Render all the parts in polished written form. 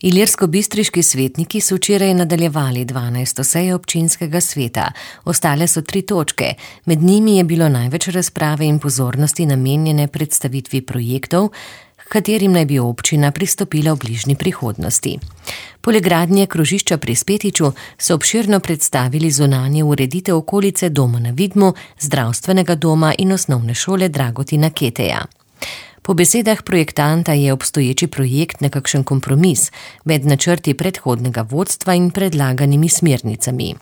Ilirsko-bistriški svetniki so včeraj nadaljevali 12. sejo občinskega sveta. Ostale so 3 točke. Med njimi je bilo največ razprave in pozornosti namenjene predstavitvi projektov, katerim naj bi občina pristopila v bližnji prihodnosti. Poleg gradnje krožišča pri Spetiču so obširno predstavili zunanje ureditev okolice doma na Vidmu, zdravstvenega doma in osnovne šole Dragotina Keteja. Po besedah projektanta je obstoječi projekt nekakšen kompromis med načrti predhodnega vodstva in predlaganimi smernicami.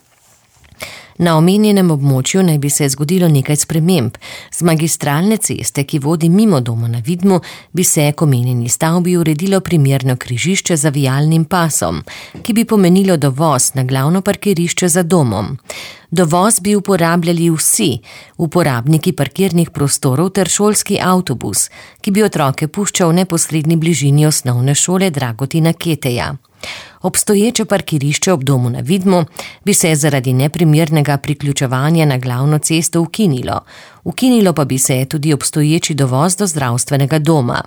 Na omenjenem območju naj bi se zgodilo nekaj sprememb. Z magistralne ceste, ki vodi mimo doma na Vidmu, bi se k omenjeni stavbi uredilo primerno križišče z zavijalnim pasom, ki bi pomenilo dovoz na glavno parkirišče za domom. Dovoz bi uporabljali vsi uporabniki parkirnih prostorov ter šolski avtobus, ki bi otroke puščal v neposredni bližini osnovne šole Dragotina Keteja. Obstoječe parkirišče ob domu na Vidmu bi se zaradi neprimernega priključevanja na glavno cesto ukinilo. Ukinilo pa bi se tudi obstoječi dovoz do zdravstvenega doma.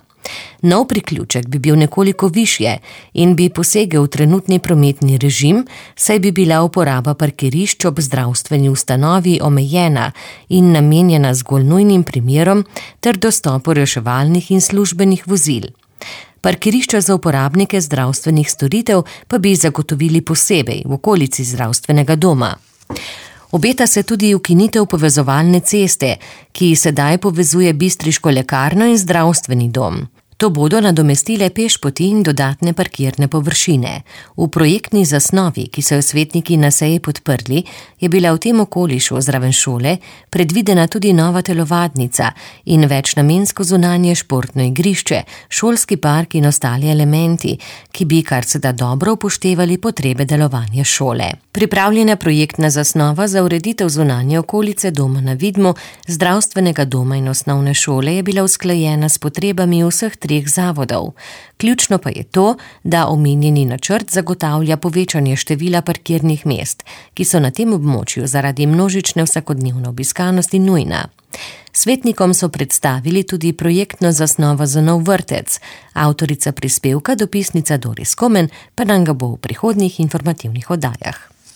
Nov priključek bi bil nekoliko višje in bi posegel v trenutni prometni režim, saj bi bila uporaba parkirišč ob zdravstveni ustanovi omejena in namenjena zgolj nujnim primerom ter dostopu reševalnih in službenih vozil. Parkirišča za uporabnike zdravstvenih storitev pa bi zagotovili posebej v okolici zdravstvenega doma. Obeta se tudi ukinitev povezovalne ceste, ki sedaj povezuje bistriško lekarno in zdravstveni dom. To bodo nadomestile pešpoti in dodatne parkirne površine. V projektni zasnovi, ki so jo svetniki na seji podprli, je bila v tem okolišu zraven šole predvidena tudi nova telovadnica in večnamensko zunanje športno igrišče, šolski park in ostali elementi, ki bi kar se da dobro upoštevali potrebe delovanja šole. Pripravljena projektna zasnova za ureditev zunanje okolice doma na Vidmu, zdravstvenega doma in osnovne šole je bila usklajena s potrebami vseh 3 zavodov. Ključno pa je to, da omenjeni načrt zagotavlja povečanje števila parkirnih mest, ki so na tem območju zaradi množične vsakodnevne obiskanosti nujna. Svetnikom so predstavili tudi projektno zasnovo za nov vrtec. Avtorica prispevka, dopisnica Doris Komen, pa nam ga bo v prihodnjih informativnih oddajah.